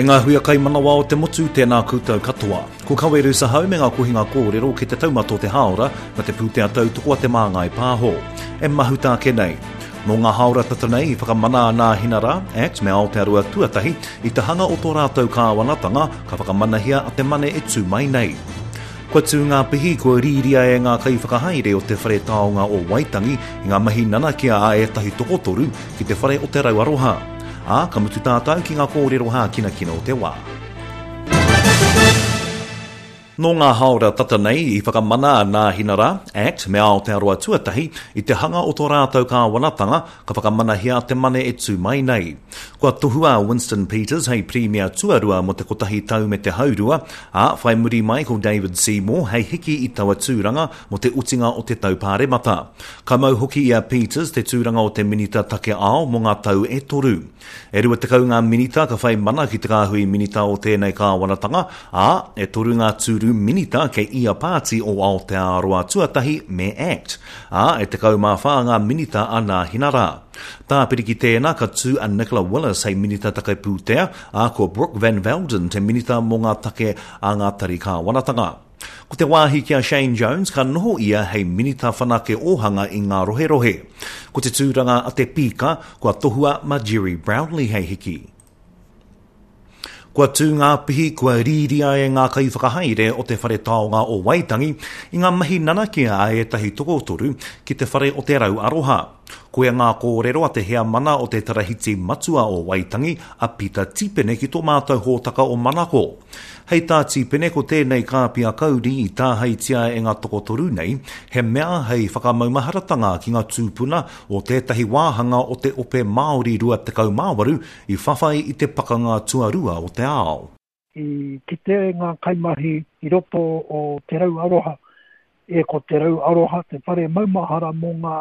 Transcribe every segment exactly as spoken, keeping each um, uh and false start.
E ngā huia kaimanawa o te motu, tēnā koutou katoa. Ko Kaweru Sahau me ngā kohinga kōrero ki te taumata o te hāora na te pūtea tautoko a te Māngai Pāho. E mahuta ake nei. Nō ngā hāora tata nei i whakamana a Nāhinara, Act me Aotearoa Tuatahi i te hanga o tō rātou kāwanatanga ka whakamanahia a te Mane e tū mai nei. Kua tū ngā pihi kua rīria e ngā kaiwhakahaere o te Whare Taonga o Waitangi i ngā mahi nanakia a ētahi tokotoru ki te Whare o Te Rau Aroha. Ā, ka mutu tātou ki ngā kōrero hākinakina o te wā. Nō ngā hāora tata nei i whakamana a Nāhinara, Act me Aotearoa Tuatahi i te hanga o tō rātou kāwanatanga ka whakamanahia a te Mane e tū mai nei. Kua tohua a Winston Peters hei Pirimia tuarua mō te kotahi tau me te haurua, ā, whai muri mai ko David Seymour hei hiki i taua tūranga mō te otinga o te tau pāremata. Ka mau hoki i a Peters te tūranga o te Minita Take Ao mō ngā tau e toru. E rua tekau ngā minita ka whai mana ki te kāhui minita o tēnei kāwanatanga, ā, e toru ngā tūru minita kei ia pāti o Aotearoa Tuatahi me Act, ā, e tekau mā whā ngā minita a Nāhinara. Tāpiri ki tēnā ka tū a Nicola Willis hei minita take pūtea, ā, ko Brooke Van Velden te minita mō ngā take a ngā tari kāwanatanga. Ko te wāhi ki a Shane Jones ka noho ia hei minita whanake ōhanga i ngā roherohe. Ko te tūranga a te pīka, kua tohua ma Gerry Brownlee hei hiki. Kua tū ngā pihi kua rīria e ngā kaiwhakahaere o te Whare Taonga o Waitangi i ngā mahi nanakia a ētahi tokotoru ki te Whare o Te Rau Aroha. Koia ngā kōrero a te heamana o te Tarahiti Matua o Waitangi, a Pita Tipene ki tō mātou hōtaka o Manako. Hei tā Tipene ko tēnei kāpia kauri i tāheitia e ngā tokotoru nei, he mea hei whakamaumaharatanga ki ngā tūpuna o tētahi wāhanga o te ope Māori rua tekau mā waru i whawhai i te pakanga tuarua o te ao. I kite ngā kaimahi i roto o Te Rau Aroha, e ko Te Rau Aroha te whare maumahara mō ngā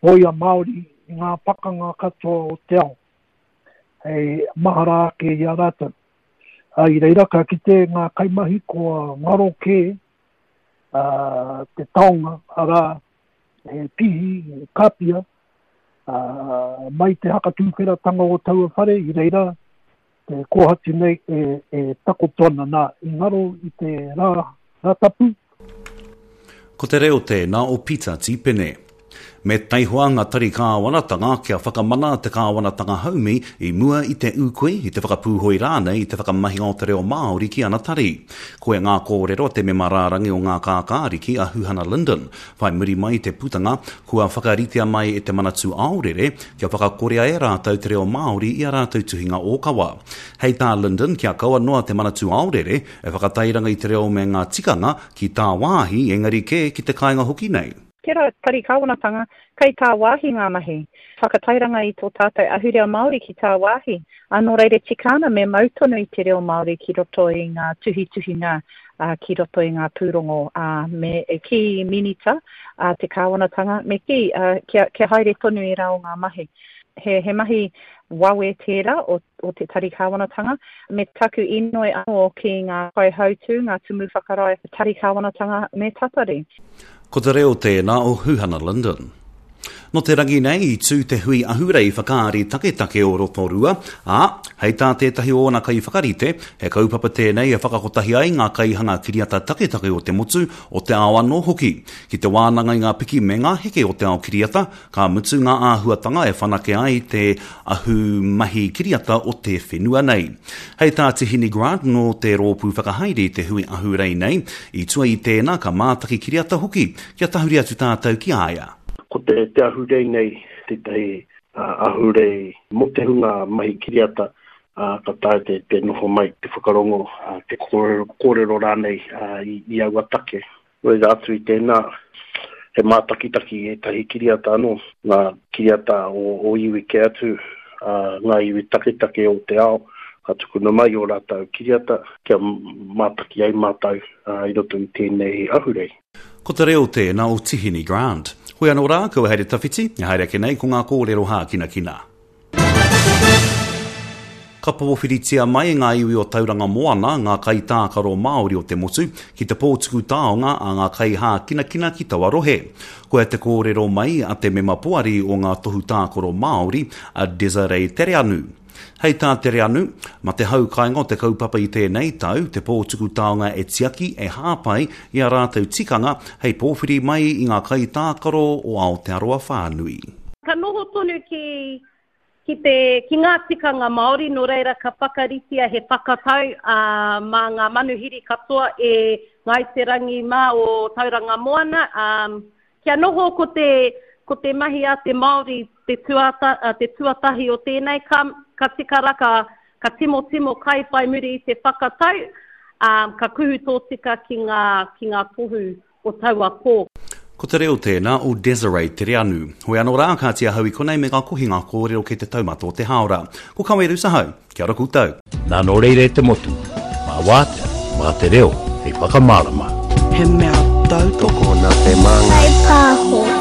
hōia Māori i ngā pakanga katoa o te ao, hei mahara ake i a rātou. I reira ka kite ngā kaimahi kua ngaro kē te taonga, arā, he pihi, he kāpia, mai te hakatūwheratanga o taua whare, i reira te kōhatu nei e, e takoto ana nā, i ngaro i te rā, rā tapu. Ko te reo tēnā o Pita Tipene. Me taihoa ngā tari kāwanatanga kia whakamana te kāwanatanga haumi i mua i te ūkui, i te whakapūhoi rānei i te whakamahinga o te reo Māori ki ana tari. Koia ngā kōrero a te mema rārangi o ngā kākāriki a Huhana Lyndon. Whai muri mai te putanga, kua whakaritea mai e te Manatū Aorere kia whakakorea e rātou te reo Māori i a rātou tuhinga ōkawa. Hei tā Lyndon, kia kaua noa te Manatū Aorere e whakatairanga i te reo me ngā tikanga ki tāwāhi engari kē ki te kāinga hoki nei. Tērā tari kāwanatanga, kei tāwāhi ngā mahi. Whakatairanga i tō tātou ahurea Māori ki tāwāhi. Ā, nō reira tika ana me mau tonu i te reo Māori ki roto i ngā tuhituhinga, ā, ki roto i ngā pūrongo, ā, me e kī minita, ā, te kāwanatanga, me kī, ā, kia, kia haere tonu ērā o ngā mahi. He, he mahi wawe tērā o, o te tari kāwanatanga, me taku inoi anō ki ngā kaihautū, ngā tumu whakarae tari kāwanatanga me tatari. Ko te reo tēnā o Huhana Lyndon. Nō te rangi nei i tū te hui ahurei whakaari taketake o Rotorua, ā, hei tā tētahi o ōna kaiwhakarite, he kaupapa tēnei e whakakotahi ai ngā kaihanga kiriata taketake o te motu, o te ao anō hoki. Ki te wānanga i ngā piki me ngā heke o te ao kiriata, ka mutu ngā āhuatanga e whanake ai te ahumahi kiriata o te whenua nei. Hei tā Tihini Grant nō te rōpū whakahaere i te hui ahurei nei, i tua i tēnā ka mātaki kiriata hoki, kia tahuri atu tātou ki a ia. Ko te, te ahurei nei, tētahi ahurei mō te hunga mahi kiriata, uh, ka taea te, te noho mai, te whakarongo, uh, te kōrero, kōrero rānei uh, i, i aua take. Reira atu i tēnā, he mātakitaki ētahi kiriata anō, ngā kiriata o, o iwi kē atu, uh, ngā iwi taketake o te ao, ka tukuna mai o rātou kiriata, kia mātaki ai mātou uh, i roto i tēnei ahurei. Ko te reo tēnā o Tihini Grant. Hoi anō rā, kua haere tawhiti, e haere ake nei ko ngā kōrero hākinakina. Ka pōwhiritia mai e ngā iwi o Tauranga Moana, ngā kaitākaro Māori o te motu, ki te pōtuku taonga a ngā kaihākinakina ki taua rohe. Koia te kōrero mai a te mema poari o ngā tohu tākaro Māori, a Desiree Tereanu. Hei tā Tereanu, ma te hau kāinga o te kaupapa i tēnei tau, te pō tuku taonga e tiaki, e hāpai i a rātou tikanga hei pōwhiri mai i ngā kaitākaro o Aotearoa whānui. Ka noho tonu ki, ki, te, ki ngā tikanga Māori, nō reira ka whakaritea he whakatau uh, mā ngā manuhiri katoa e Ngāi Te Rangi mā o Tauranga Moana. Um, kia noho ko te, ko te mahi a te Māori te, tuata, te tuatahi o tēnei, ka, ka tika rā, ka, ka timotimo kai whai muri i te whakatau, um, ka kuhu tōtika ki ngā, ki ngā tohu o taua pō. Ko te reo tēnā o Desiree Tereanu. Hoi anō rā, ka tia hau i konei me ngā kohinga kōrero kei te taumata o te hāora. Ko Kaweru Sahau, kia ora koutou. Nā nō reira e te motu, mā wātea, mā te reo, hei whakamārama. He mea tautoko nā te māngai. Pāho.